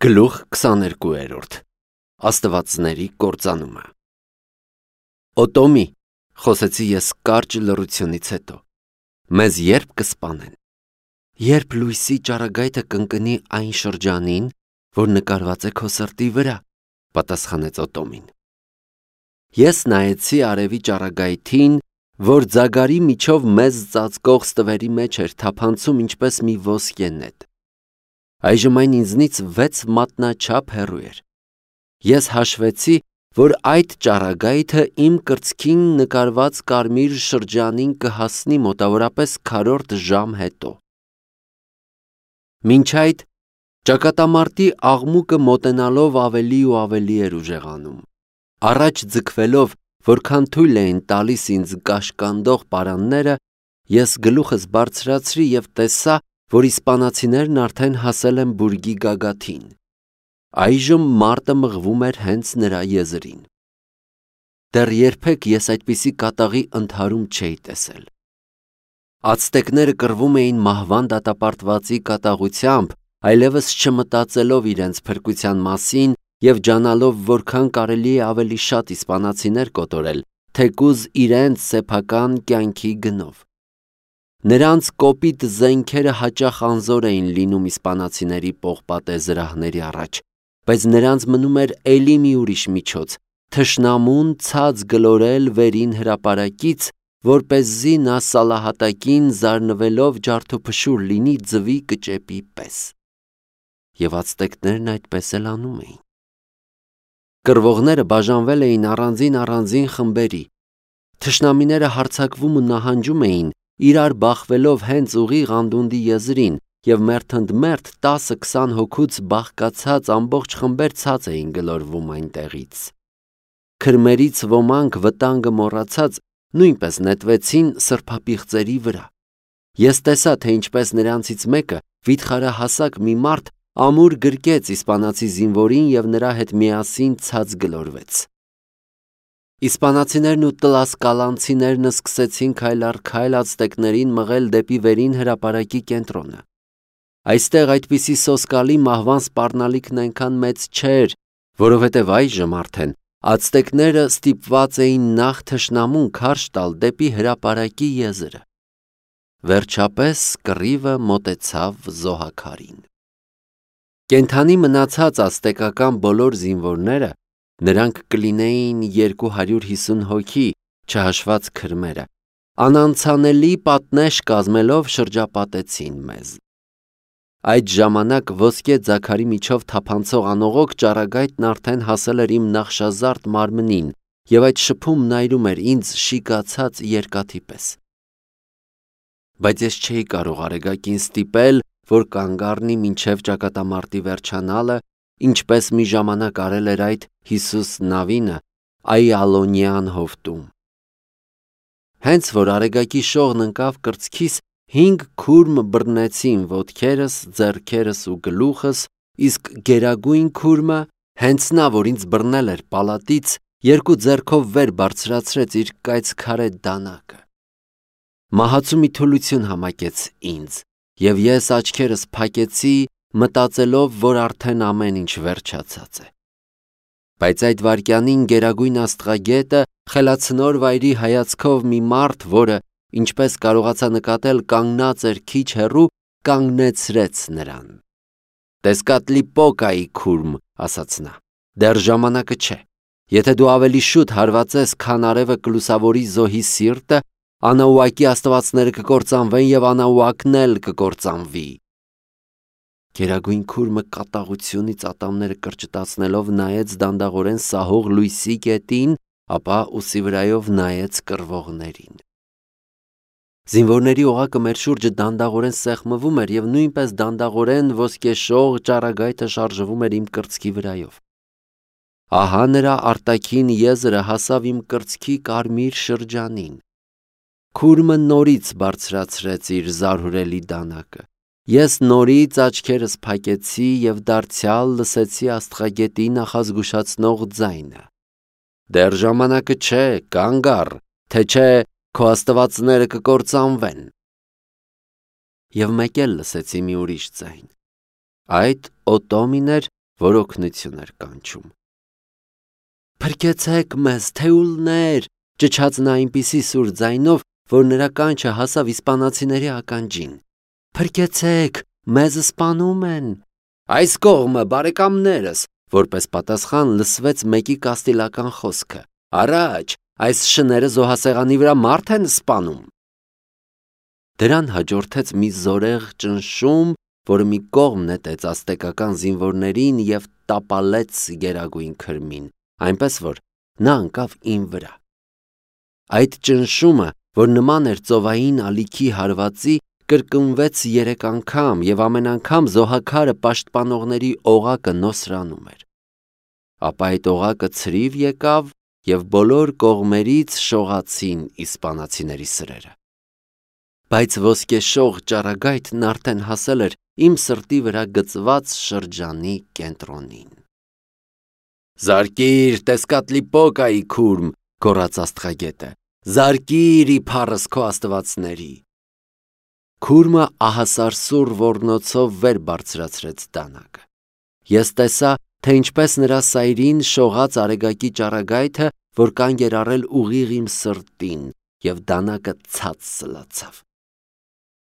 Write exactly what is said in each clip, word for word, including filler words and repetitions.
Գլուխ քսաներկուերորդ Աստվածների կործանումը Օտոմի, խոսեցի ես կարճ լռությունից հետո, մեզ երբ կսպանեն, երբ լույսի ճառագայթը կընկնի այն շրջանին, որ նկարված է քո սրտի վրա, պատասխանեց Օտոմին։ Ես նայեցի արևի ճառագայթին, որ ձագարի միջով մեզ ծածկող ստվերի մեջ էր թափանցում ինչպես մի ոսկե նետ։ Այժմ այն ինձնից վեց մատնաչափ հեռու էր։ Ես հաշվեցի, որ այդ ճառագայթը իմ կրծքին նկարված կարմիր շրջանին կհասնի մոտավորապես քառորդ ժամ հետո։ Մինչ այդ ճակատամարտի աղմուկը մոտենալով ավելի ու ավելի էր ուժեղանում։ Առաջ ձգվելով, որքան թույլ էին տալիս ինձ կաշկանդող պարանները, ես գլուխս բարձրացրի և տեսա, որ իսպանացիներն արդեն հասել են բուրգի գագաթին։ Այժմ մարտը մղվում էր հենց նրա եզրին։ Դեռ երբեք ես այդպիսի կատաղի ընդհարում չէի տեսել։ Ացտեկները կռվում էին մահվան դատապարտվածի կատաղությամբ, այլևս չմտածելով իրենց փրկության մասին և ջանալով որքան կարելի է ավելի շատ իսպանացիներ կոտորել, թեկուզ իրենց սեփական կյանքի գնով։ Նրանց կոպիտ զենքերը հաճախ անզոր էին լինում իսպանացիների պողպատե զրահների առաջ, բայց նրանց մնում էր էլի մի ուրիշ միջոց՝ թշնամուն ցած գլորել վերին հրապարակից, որպեսզի նա սալահատակին զարնվելով ջարդուփշուր լինի ձվի կճեպի պես։ Եվ ացտեկներն այդպես էլ անում էին։ Կռվողները բաժանվել էին առանձին-առանձին խմբերի։ Թշնամիները հարձակվում ու նահանջում էին, իրար բախվելով հենց ուղիղ անդունդի եզրին, և մերթընդմերթ տասը-քսան հոգուց բաղկացած ամբողջ խմբեր ցած էին գլորվում այնտեղից։ Քրմերից ոմանք վտանգը մոռացած նույնպես նետվեցին սրբապիղծերի վրա։ Ես տեսա, թե ինչպես նրանցից մեկը, վիթխարահասակ մի մարդ, ամուր գրկեց իսպանացի զինվորին և նրա հետ միասին ցած գլորվեց։ Իսպանացիներն ու տլասկալանցիներն սկսեցին քայլ առ քայլ ացտեկներին մղել դեպի վերին հրապարակի կենտրոնը։ Այստեղ այդպիսի սոսկալի մահվան սպառնալիքն այնքան մեծ չէր, որովհետև այժմ արդեն ացտեկները ստիպված էին նախ թշնամուն քարշ տալ դեպի հրապարակի եզրը։ Վերջապես կռիվը մոտեցավ զոհաքարին։ Կենդանի մնացած ացտեկական բոլոր զինվորները, նրանք կլինեին երկու հարյուր հիսուն հոգի, չհաշված քրմերը, անանցանելի պատնեշ կազմելով շրջապատեցին մեզ։ Այդ ժամանակ ոսկե ձագարի միջով թափանցող անողոք ճառագայթն արդեն հասել էր իմ նախշազարդ մարմնին և այդ շփումն այրում էր ինձ շիկացած երկաթի պես։ Բայց ես չէի կարող Արեգակին ստիպել, որ կանգ առնի մինչև ճակատամարտի վերջանալը, ինչպես մի ժամանակ արել էր այդ Հիսուս Նավինը Այալոնյան հովտում։ Հենց որ Արեգակի շողն ընկավ կրծքիս, հինգ քուրմ բռնեցին ոտքերս, ձեռքերս ու գլուխս, իսկ գերագույն քուրմը, հենց նա, որ ինձ բռնել էր պալատից, երկու ձեռքով վեր բարձրացրեց իր կայծքարե դանակը։ Մահացու մի թուլություն համակեց ինձ, և ես աչքերս փակեցի, մտածելով, որ արդեն ամեն ինչ վերջացած է։ Բայց այդ վայրկյանին գերագույն աստղագետը խելացնոր վայրի հայացքով մի մարդ, որը, ինչպես կարողացա նկատել, կանգնած էր քիչ հեռու, կանգնեցրեց նրան։ «Տեսկատլիպոկայի քուրմ», ասաց նա, «դեռ ժամանակը չէ։ Եթե դու ավելի շուտ հարվածես, քան արևը կլուսավորի զոհի սիրտը, Անաուակի աստվածները կկործանվեն և Անաուակն էլ կկործանվի»։ Գերագույն քուրմը կատաղությունից ատամները կրճտացնելով նայեց դանդաղորեն սահող լույսի կետին, ապա ուսի վրայով նայեց կռվողներին։ Զինվորների օղակը մեր շուրջը դանդաղորեն սեղմվում էր և նույնպես դանդաղորեն ոսկեշող ճառագայթը շարժվում էր իմ կրծքի վրայով։ Ահա նրա արտաքին եզրը հասավ իմ կրծքի կարմիր շրջանին։ Քուրմը նորից բարձրացրեց իր զարհուրելի դանակը։ Ես նորից աչքերս փակեցի և դարձյալ լսեցի աստղագետի նախազգուշացնող ձայնը. «Դեռ ժամանակը չէ, կանգ առ, թե չէ քո աստվածները կկործանվեն»։ Եվ մեկ էլ լսեցի մի ուրիշ ձայն։ Այդ Օտոմին էր, որ օգնություն էր կանչում։ «Փրկեցեք մեզ, թեուլներ», ճչաց նա այնպիսի սուր ձայնով, որ նրա կանչը հասավ իսպանացիների ականջին։ «Փրկեցեք, մեզ սպանում են»։ «Այս կողմը, բարեկամներս», որպես պատասխան լսվեց մեկի կաստիլական խոսքը։ «Առաջ, այս շները զոհասեղանի վրա մարդ են սպանում»։ Դրան հաջորդեց մի զորեղ ճնշում, որը մի կողմ նետեց ազտեկական զինվորներին և տապալեց Գերագույն Քրմին, այնպես որ նա ընկավ իմ վրա։ Այդ ճնշումը, որ նման էր ծովային ալիքի հարվածի, կրկնվեց երեք անգամ, և ամեն անգամ զոհաքարը պաշտպանողների օղակը նոսրանում էր։ Ապա այդ օղակը ցրիվ եկավ, և բոլոր կողմերից շողացին իսպանացիների սրերը։ Բայց ոսկեշող ճառագայթն արդեն հասել էր իմ սրտի վրա գծված շրջանի կենտրոնին։ «Զարկիր Տեսկատլիպոկայի քուրմ», գոռաց աստղագետը, «զարկիր իբարս քո աստվածների»։ Քուրմը ահասարսուռ ոռնոցով վեր բարձրացրեց դանակը։ Ես տեսա, թե ինչպես նրա սայրին շողաց արեգակի ճառագայթը, որ կանգ էր առել ուղիղ իմ սրտին, և դանակը ցած սլացավ։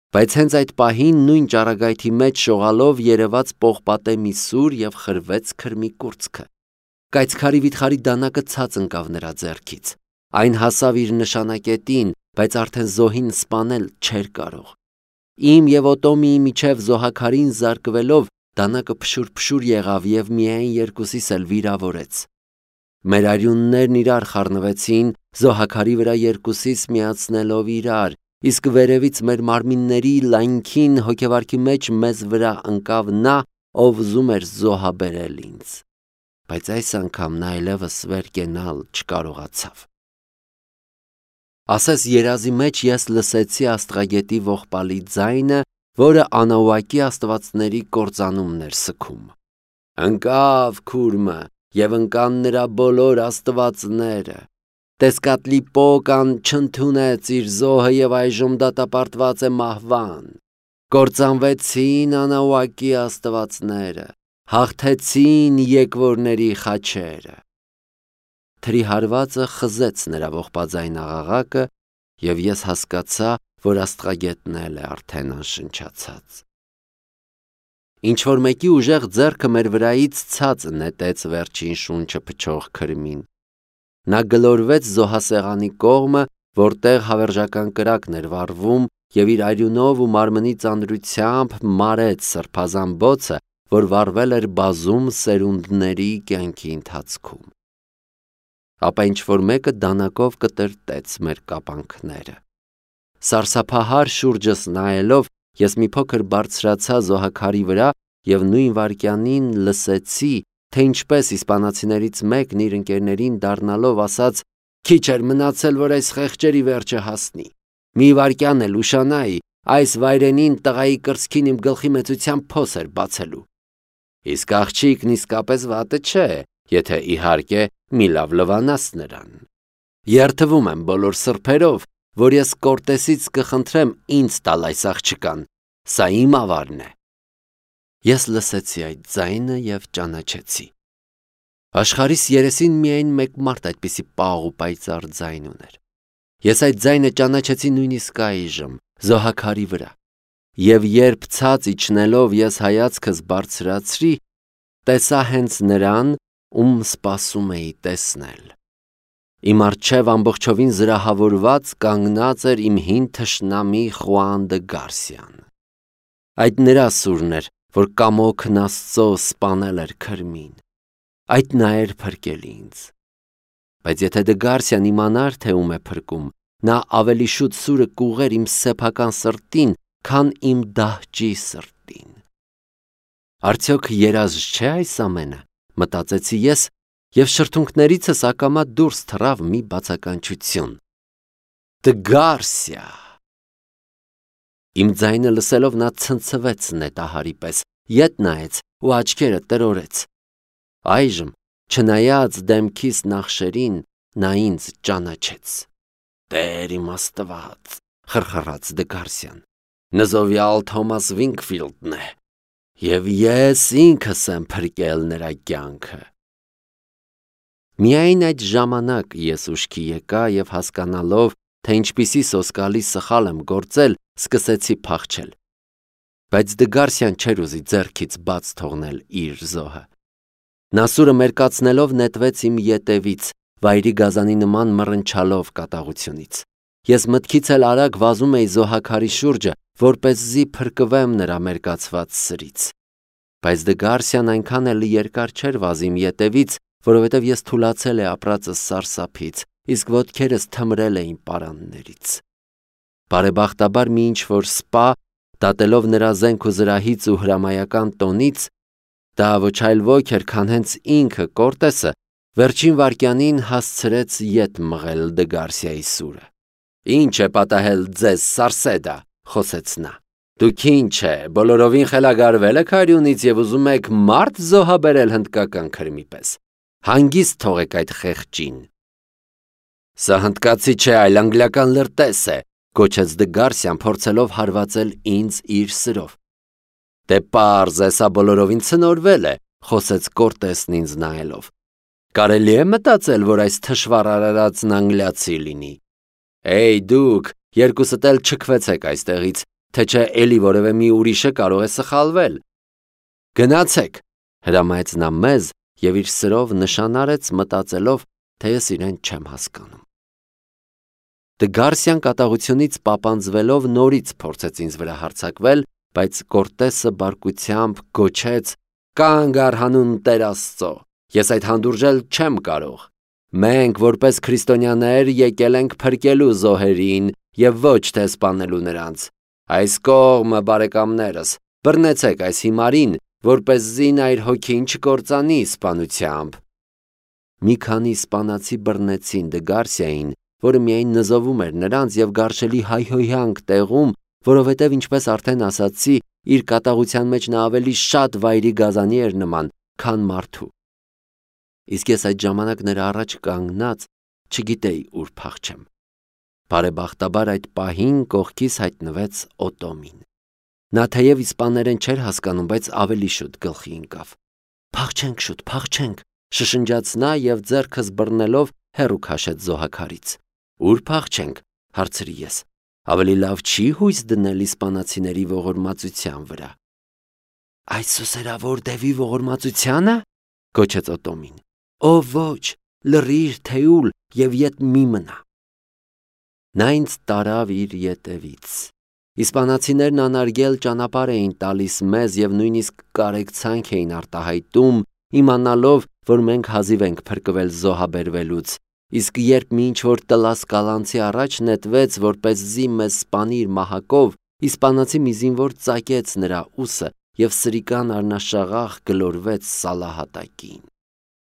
Բայց հենց այդ պահին նույն ճառագայթի մեջ շողալով երևաց պողպատե մի սուր և խրվեց քրմի կուրծքը։ Կայծքարի վիթխարի դանակը ցած ընկավ նրա ձեռքից։ Այն հասավ իր նշանակետին, բայց արդեն զոհին սպանել չէր կարող։ Իմ և Օտոմիի միջև զոհաքարին զարկվելով դանակը փշուր-փշուր եղավ և միայն երկուսիս էլ վիրավորեց։ Մեր արյուններն իրար խառնվեցին, զոհաքարի վրա երկուսիս միացնելով իրար, իսկ վերևից մեր մարմինների լայնքին հոգեվարքի մեջ մեզ վրա ընկավ նա, ով ուզում էր զոհաբերել ինձ։ Բայց այս անգամ նա այլևս վեր կենալ չկարողացավ։ Ասես երազի մեջ ես լսեցի աստղագետի ողբալի ձայնը, որը Անաուակի աստվածների կործանումն էր սգում։ Ընկավ քուրմը, և ընկան նրա բոլոր աստվածները։ Տեսկատլիպոկան չընդունեց իր զոհը և այժմ դատապարտված է մահվան։ Կործանվեցին Անաուակի աստվածները, հաղթեցին եկվորների խաչերը։ Թրի հարվածը խզեց նրա ողբաձայն աղաղակը, և ես հասկացա, որ աստղագետն էլ է արդեն անշնչացած։ Ինչ-որ մեկի ուժեղ ձեռքը մեր վրայից ցած նետեց վերջին շունչը փչող քրմին։ Նա գլորվեց զոհասեղանի կողմը, որտեղ հավերժական կրակն էր վառվում, և իր արյունով ու մարմնի ծանրությամբ մարեց սրբազան բոցը, որ վառվել էր բազում սերունդների կյանքի ընթացքում։ Ապա ինչ-որ մեկը դանակով կտրտեց մեր կապանքները։ Սարսափահար շուրջս նայելով, ես մի փոքր բարձրացա զոհաքարի վրա և նույն վայրկյանին լսեցի, թե ինչպես իսպանացիներից մեկն իր ընկերներին դառնալով ասաց. «Քիչ էր մնացել, որ այս խեղճերի վերջը հասնի։ Մի վայրկյան էլ ուշանայի, այս վայրենին տղայի կրծքին իմ գլխի մեծության փոս էր բացելու։ Իսկ աղջիկն իսկապես վատը չէ, եթե իհարկե մի լավ լվանաս նրան։ Երդվում եմ բոլոր սրբերով, որ ես Կորտեսից կխնդրեմ ինձ տալ այս աղջկան, սա իմ ավարն է»։ Ես լսեցի այդ ձայնը և ճանաչեցի։ Աշխարհիս երեսին միայն մեկ մարդ այդպիսի պաղ ու պայծառ ձայն ուներ։ Ես այդ ձայնը ճանաչեցի նույնիսկ այժմ, զոհաքարի վրա։ Եվ երբ ցած իջնելով ես հայացքս բարձրացրի, տեսա հենց նրան, ում սպասում էի տեսնել։ Իմ առջև ամբողջովին զրահավորված կանգնած էր իմ հին թշնամի Խուան դը Գարսիան։ Այդ նրա սուրն էր, որ կամոքն Աստծո սպանել էր քրմին։ Այդ նա էր փրկել ինձ։ Բայց եթե դը Գարսիան իմանար, թե ում է փրկում, նա ավելի շուտ սուրը կուղեր իմ սեփական սրտին, քան իմ դահճի սրտին։ Արդյոք երազ չէ այս ամենը, մտածեցի ես, և շրթունքներիցս ակամա դուրս թռավ մի բացականչություն. «Դը Գարսիա»։ Իմ ձայնը լսելով նա ցնցվեց նետահարի պես, ետ նայեց ու աչքերը տրորեց։ Այժմ, չնայած դեմքիս նախշերին, նա ինձ ճանաչեց։ «Տեր իմ Աստված», խրխռաց դը Գարսիան, «նզովյալ Թոմաս Վինքֆիլդն է»։ Եվ ես ինքս եմ փրկել նրա կյանքը։ Միայն այդ ժամանակ ես ուշքի եկա և հասկանալով, թե ինչպիսի սոսկալի սխալ եմ գործել, սկսեցի փախչել։ Բայց Դգարսյան չէր ուզի ձեռքից բաց թողնել իր զոհը։ Նա սուրը մերկացնելով նետվեց իմ ետևից, վայրի գազանի նման մռնչալով կատաղությունից։ Ես մտքից էլ արագ վազում էի զոհաքարի շուրջը, որպեսզի փրկվեմ նրա մերկացված սրից։ Բայց Դգարսյան այնքան էլ երկար չէր վազի իմ ետևից, որովհետև ես թուլացել էի ապրածս սարսափից, իսկ ոտքերս թմրել էին պարաններից։ Բարեբախտաբար մի ինչ-որ սպա, դատելով նրա զենք ու զրահից ու հրամայական տոնից, դա ոչ այլ ոք էր, քան հենց ինքը Կորտեսը, վերջին վայրկյանին հասցրեց ետ մղել Դգարսիայի սուրը։ «Ինչ է պատահել ձեզ, Սարսեդա», խոսեց նա։ «Դուք ինչ է, բոլորովին խելագարվել եք արյունից և ուզում եք մարդ զոհաբերել հնդկական քրմի պես։ Հանգիստ թողեք այդ խեղճին»։ «Սա հնդկացի չէ, այլ անգլիական լրտես է», գոչեց Դգարսյան, փորձելով հարվածել ինձ իր սրով։ «Դե պարզ է, սա բոլորովին ցնորվել է», խոսեց Կորտեսն ինձ նայելով։ «Կարելի է մտածել, որ այս թշվառ արարածն անգլիացի լինի։ Էյ դուք, երկուսդ էլ չքվեցեք այստեղից, թե չէ էլի որևէ մի ուրիշը կարող է սխալվել»։ «Գնացեք», հրամայեց նա մեզ և իր սրով նշան արեց, մտածելով, թե ես իրեն չեմ հասկանում։ Դգարսյան կատաղությունից պապանձվելով նորից փորձեց ինձ վրա հարձակվել, բայց Կորտեսը բարկությամբ գոչեց. «Կանգ առ հանուն Տեր Աստծո, ես այդ հանդուրժել չեմ կարող։ Մենք, որպես քրիստոնյաներ, եկել ենք փրկելու զոհերին և ոչ թե սպանելու նրանց։ Այս կողմը, բարեկամներս, բռնեցեք այս հիմարին, որպեսզի նա իր հոգին չկործանի սպանությամբ»։ Մի քանի իսպանացի բռնեցին Դգարսիային, որը միայն նզովում էր նրանց և գարշելի հայհոյանք տեղում, որովհետև, ինչպես արդեն ասացի, իր կատաղության մեջ նա ավելի շատ վայրի գազանի էր նման, քան մարդու։ Իսկ ես այդ ժամանակ նրա առաջ կանգնած չգիտեի ուր փախչեմ։ Բարեբախտաբար այդ պահին կողքիս հայտնվեց Օտոմին։ Նա թեև իսպաներեն չէր հասկանում, բայց ավելի շուտ գլխի ընկավ։ «Փախչենք շուտ, փախչենք», շշնջաց նա և ձեռքս բռնելով հեռու քաշեց զոհաքարից։ «Ուր փախչենք», հարցրի ես։ «Ավելի լավ չի՞ հույս դնել իսպանացիների ողորմածության վրա»։ «Այս սուսերավոր դևի ողորմածությա՞նը», գոչեց Օտոմին։ «Օ ոչ, լռիր, թեուլ, և ետ մի մնա»։ Նա ինձ տարավ իր ետևից։ Իսպանացիներն անարգել ճանապարհ էին տալիս մեզ և նույնիսկ կարեկցանք էին արտահայտում, իմանալով, որ մենք հազիվ ենք փրկվել զոհաբերվելուց, իսկ երբ մի ինչ-որ տլասկալանցի առաջ նետվեց, որպեսզի մեզ սպանի իր մահակով, իսպանացի մի զինվոր ծակեց նրա ուսը և սրիկան առնաշաղախ գլորվեց սալահատակին։